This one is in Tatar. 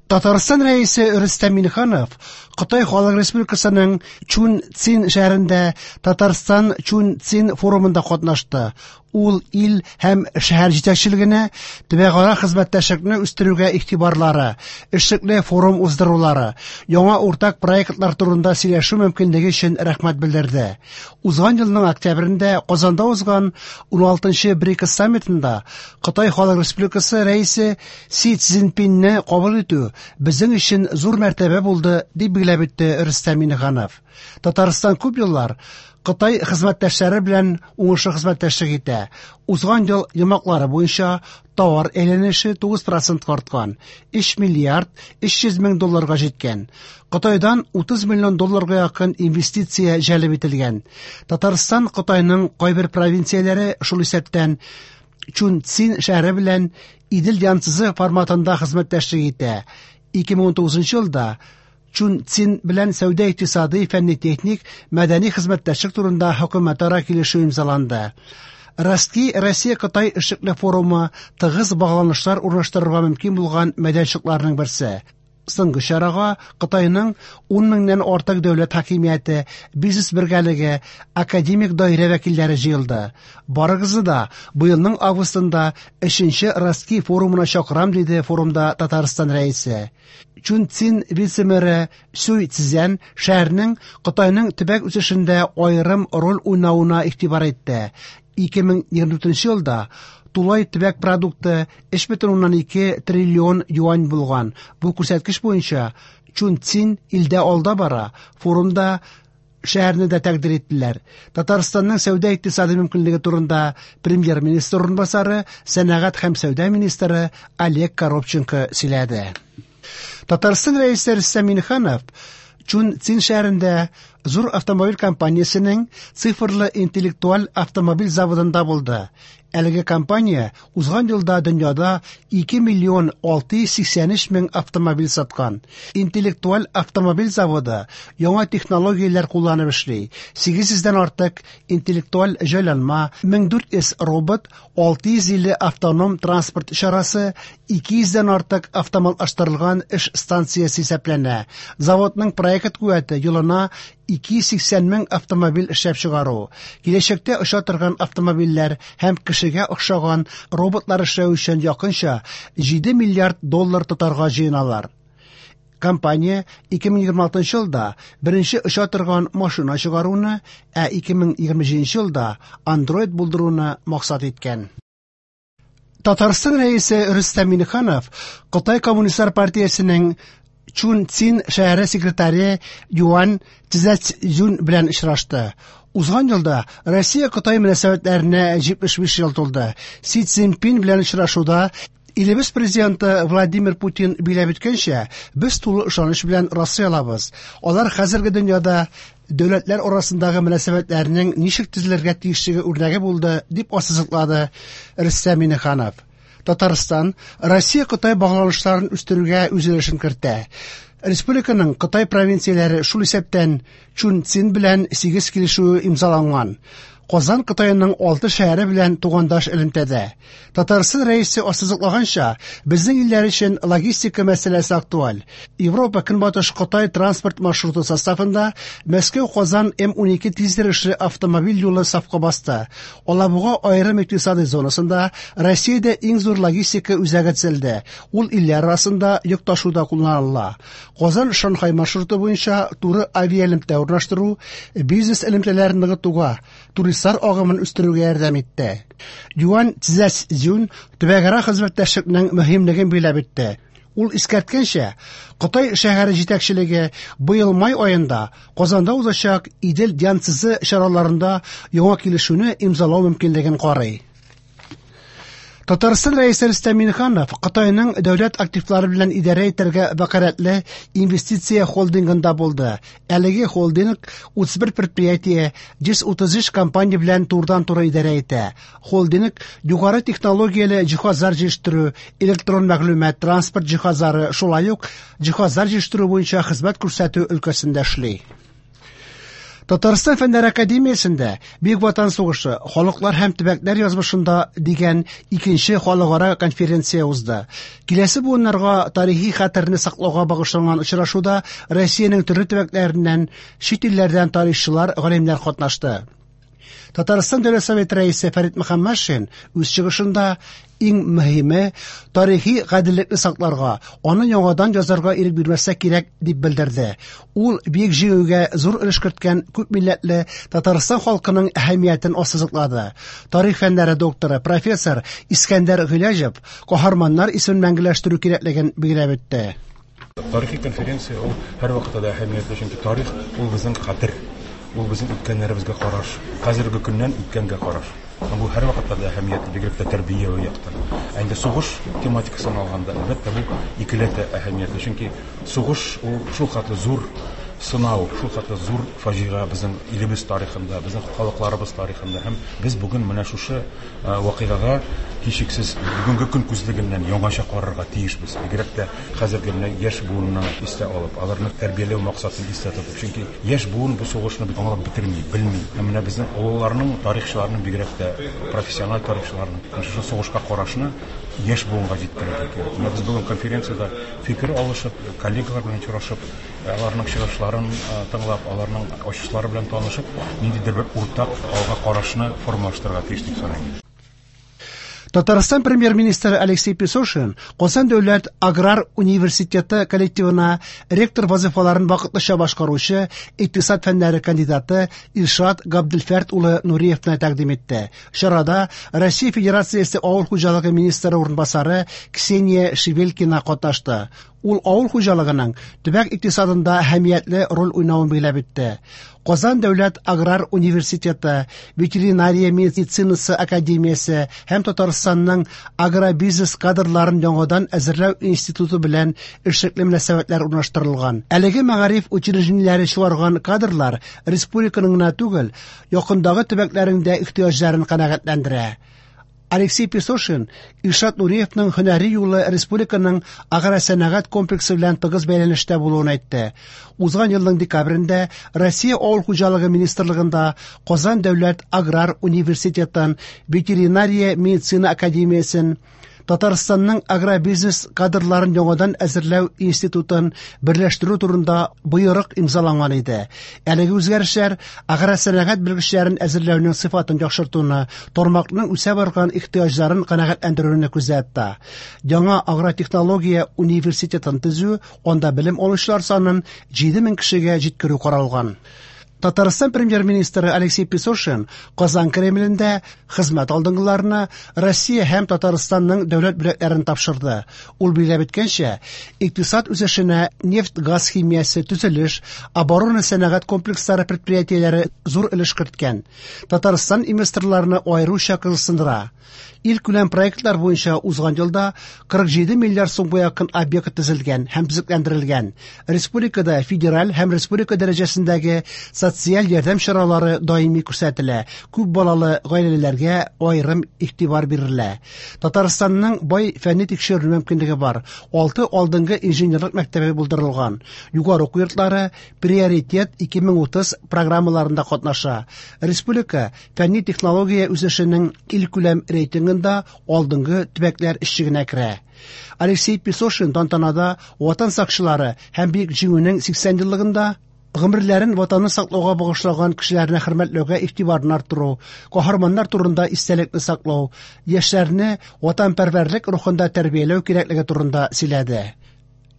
Татарстан Рәисе Рөстәм Миңнеханов Кытай Халык Республикасының Чунцин шәһәрендә Татарстан Чунцин форумында катнашты. Ул ил һәм шәһәр җитәкчелегенә төбәкара хезмәттәшлекне үстерүгә игътибарлары, эшлекле форум уздырулары, яңа уртак проектлар турында сөйләшү мөмкинлеге өчен рәхмәт белдерде. Узган елның октябрендә Казанда узган 16-нчы БРИКС саммитында Кытай Халык Республикасы Рәисе Си Цзиньпинне кабул итү безнең өчен зур мәртәбә булды, дип билгеләп үтте Рөстәм Миңнеханов. Татарстан күп еллар Кытай хезмәттәшләре белән уңышлы хезмәттәшлек итә. Узган ел йомгаклары буенча товар әйләнеше 9% арткан, 3 миллиард 300 мең долларга җиткән. Кытайдан 30 миллион долларга якын инвестиция җәлеп ителгән. Татарстан Кытайның кайбер провинцияләре, шул исәптән Чунцин шәһәре белән Идел Янцзы форматында хезмәттәшлек итә. 2019 елда Чунцин белән сәүдә-икътисадый, фәнни-техник, мәдәни хезмәттәшлек турында хөкүмәтара килешү имзаланды. Ростки Россия-Кытай эшлекле форумы тыгыз багланышлар урнаштырырга мөмкин булган мәйданчыкларның берсе. Соңгы чарага Кытайның 10 меңнән артык дәүләт хакимияте, бизнес бергәлеге, академик даирә вәкилләре җыелды. Барыгызны да быелның августында 3нче Ростки форумына чакырам, диде форумда Татарстан Рәисе. Чунцин вице-мэры Сюй Цзян шәһәрнең Кытайның төбәк үсешендә аерым роль уйнавына игътибар итте. 2024 елда тулай төбәк продукты 3,2 триллион юань булган. Бу күрсәткеч буенча Чунцин илдә алда бара. Форумда шәһәрне дә тәкъдир иттеләр. Татарстанның сәүдә-икътисади мөмкинлеге турында премьер-министр урынбасары, сәнәгать һәм сәүдә министры Олег Коробченко сөйләде. Татарстан Рәисе Рөстәм Миңнеханов Чунцин шәһәрендә зур автомобиль компаниясенең цифрлы интеллектуаль автомобиль заводында булды. Әлеге компания узган елда дөньяда 2 миллион 683 мең автомобиль саткан. Интеллектуаль автомобиль заводы яңа технологияләр кулланып эшли. 800 дән артык интеллектуаль җайланма, 1400 робот, 650 автоном транспорт чарасы, 200 дән артык автоматлаштырылган эш станциясе исәпләнә. Заводның проект куәте елына 280 мең автомобиль эшләп чыгару. Киләчәктә оча торган автомобильләр һәм кешегә охшаган роботлар эшләү өчен якынча 7 миллиард доллар тотарга җыеналар. Компания 2026 елда беренче оча торган машина чыгаруны, ә 2027 елда андроид булдыруны максат иткән. Татарстан Рәисе Рөстәм Миңнеханов Кытай Коммунистлар партиясенең Чунцин шәһәре секретаре Юань Цзэцзюн белән очрашты. Узган елда Россия-Кытай мөнәсәбәтләренә 75 ел тулды. Си Цзиньпин белән очрашуда илебез президенты Владимир Путин билгеләп үткәнчә, без тулы ышаныч белән раслый алабыз. Алар хәзерге дөньяда дәүләтләр арасындагы мөнәсәбәтләрнең ничек төзелергә тиешлеге үрнәге булды, дип ассызыклады Рөстәм Миңнеханов. Татарстан Россия-Кытай багланышларын үстерүгә үз өлешен кертә. Республиканың Кытай провинцияләре, шул исәптән Чунцин белән 8 килешүе имзаланган. Казан Кытайның 6 шәһәре белән тугандаш элемтәдә. Татарстан Рәисе ассызыклаганча, безнең илләр өчен логистика мәсьәләсе актуаль. Европа Көнбатыш Кытай транспорт маршруты составында Мәскәү-Казан М12 тизйөрешле автомобиль юлы сафка басты. Алабуга аерым икътисади зонасында Россиядә иң зур логистика үзәге төзелде. Ул илләр арасында йөк ташуда кулланыла. Казан-Шанхай маршруты буенча туры авиаэлемтә урнаштыру бизнес элемтәләрен ныгытуга, туристлар агымын үстерүгә ярдәм итте. Юань Цзэцзюн төбәкара хезмәттәшлекнең мөһимлеген билгеләп үтте. Ул искәрткәнчә, Кытай шәһәре җитәкчелеге быел май аенда Казанда узачак Идел Янцзы чараларында яңа килешүне имзалау мөмкинлеген карый. Татарстан Рәисе Рөстәм Миңнеханов Кытайның дәүләт активлары белән идарә итәргә вәкаләтле инвестиция холдингында булды. Әлеге холдинг 31 предприятие, 133 компания белән турыдан-туры идарә итә. Холдинг югары технологияле җиһазлар җитештерү, электрон мәгълүмат, транспорт җиһазлары, шулай ук җиһазлар җитештерү буенча хезмәт күрсәтү өлкәсендә эшли. Татарстан Фәннәр академиясендә Бөек Ватан сугышы, халыклар һәм төбәкләр язмышында дигән икенче халыкара конференция узды. Киләсе буыннарга тарихи хәтерне саклауга багышланган очрашуда Россиянең төрле төбәкләреннән, чит илләрдән тарихчылар, галимнәр катнашты. Татарстан Дәүләт Советы рәисе Фәрит Мөхәммәтшин үз чыгышында иң мөһиме тарихи гаделлекне сакларга, аны яңадан язарга ирек бирмәскә кирәк дип белдерде. Ул Бөек Җиңүгә зур өлеш керткән күп милләтле Татарстан халкының әһәмиятен ассызыклады. Тарих фәннәре докторы, профессор Искәндәр Гыйләҗев каһарманнар исемен мәңгеләштерү кирәклеген билгеләп үтте. Тарихи конференция ул һәрвакытта да әһәмиятле, чөнки тарих ул безнең хәтер, ул безнең үткәннәребезгә караш, хәзерге көннән үткәнгә караш. Һәм бу һәрвакытта да әһәмиятле, бигрәк тә тәрбияви яктан. Ә инде сугыш тематикасын алганда, әлбәттә, бу икеләтә әһәмиятле, чөнки сугыш ул шулхәтле зур сынау, шулхәтле зур фаҗига безнең илебез тарихында, безнең халыкларыбыз тарихында. Һәм без бүген менә шушы вакыйгага һичшиксез бүгенге көн күзлегеннән яңача карарга тиешбез. Бигрәк тә хәзерге менә яшь буынны истә алып, аларны тәрбияләү максатын истә тотып. Чөнки яшь буын бу сугышны бит аңлап бетерми, белми. Һәм менә безнең олыларның, тарихчыларның, бигрәк тә профессиональ тарихчыларның шушы сугышка карашны яшь буынга җиткерергә кирәк. Менә без бүген конференциядә фикер алышып, коллегалар белән очрашып, аларның чыгышларын тыңлап, аларның ачышлары белән танышып, ниндидер бер уртак алга карашны формалаштырырга тиеш дип саныйм. Татарстан премьер-министры Алексей Песошин Казан дәүләт аграр университеты коллективына ректор вазифаларын вакытлыча башкаручы икътисад фәннәре кандидаты Илшат Габделфәрт улы Нуриевны тәкъдим итте. Чарада Россия Федерациясе авыл хуҗалыгы министры урынбасары Ксения Шевелькина катнашты. Ул авыл хуҗалыгының төбәк икътисадында әһәмиятле роль уйнавын билгеләп үтте. Казан дәүләт аграр университеты, ветеринария медицинасы академиясе һәм Татарстанның агробизнес кадрларын яңадан әзерләү институты белән эшлекле мөнәсәбәтләр урнаштырылган. Әлеге мәгариф учреждениеләре чыгарган кадрлар республиканың гына түгел, якындагы төбәкләрнең дә ихтыяҗларын канәгатьләндерә. Алексей Песошин Илшат Нуриевның һөнәри юлы республиканың агросәнәгать комплексы белән тыгыз бәйләнештә булуын әйтте. Узган елның декабрендә Россия авыл хуҗалыгы министрлыгында Казан дәүләт аграр университетын, ветеринария медицина академиясен, Татарстанның агробизнес кадрларын яңадан әзерләү институтын берләштерү турында боерык имзаланган иде. Әлеге үзгәрешләр агросәнәгать белгечләрен әзерләүнең сыйфатын яхшыртуны, тармакның үсә барган ихтыяҗларын канәгатьләндерүне күздә тота. Яңа агротехнология университетын төзү, анда белем алучылар санын 7000 кешегә җиткерү каралган. Татарстан премьер-министры Алексей Песошин Казан Кремлендә хезмәт алдынгыларына Россия һәм Татарстанның дәүләт бүләкләрен тапшырды. Ул билгеләп үткәнчә, икътисад үсешенә нефть-газ химиясе, төзелеш, оборона сәнәгать комплекслары предприятиеләре зур өлеш керткән. Татарстан инвесторларны аеруча кызыксындыра. Илкүләм проектлар буенча узган елда 47 миллиард сумга якын объект төзелгән һәм төзекләндерелгән. Республикада федераль һәм республика дәрәҗәсендәге социаль ярдәм чаралары даими күрсәтелә. Күп балалы гаиләләргә аерым игътибар бирелә. Татарстанның бай фәнни тикшеренү мөмкинлеге бар. 6 алдынгы инженерлык мәктәбе булдырылган. Югары уку йортлары Приоритет 2030 программаларында катнаша. Республика фәнни технология үсешенең илкүләм рейтингында алдынгы төбәкләр эшчегенә керә. Алексей Песошин тантанада Ватан сакчылары һәм Бөек Җиңүнең 80 еллыгында гомерләрен ватанны саклауга багышлаган кешеләрне хөрмәтләүгә игътибарын арттыру, каһарманнар турында истәлекне саклау, яшьләрне ватанпәрвәрлек рухында тәрбияләү кирәклеге турында сөйләде.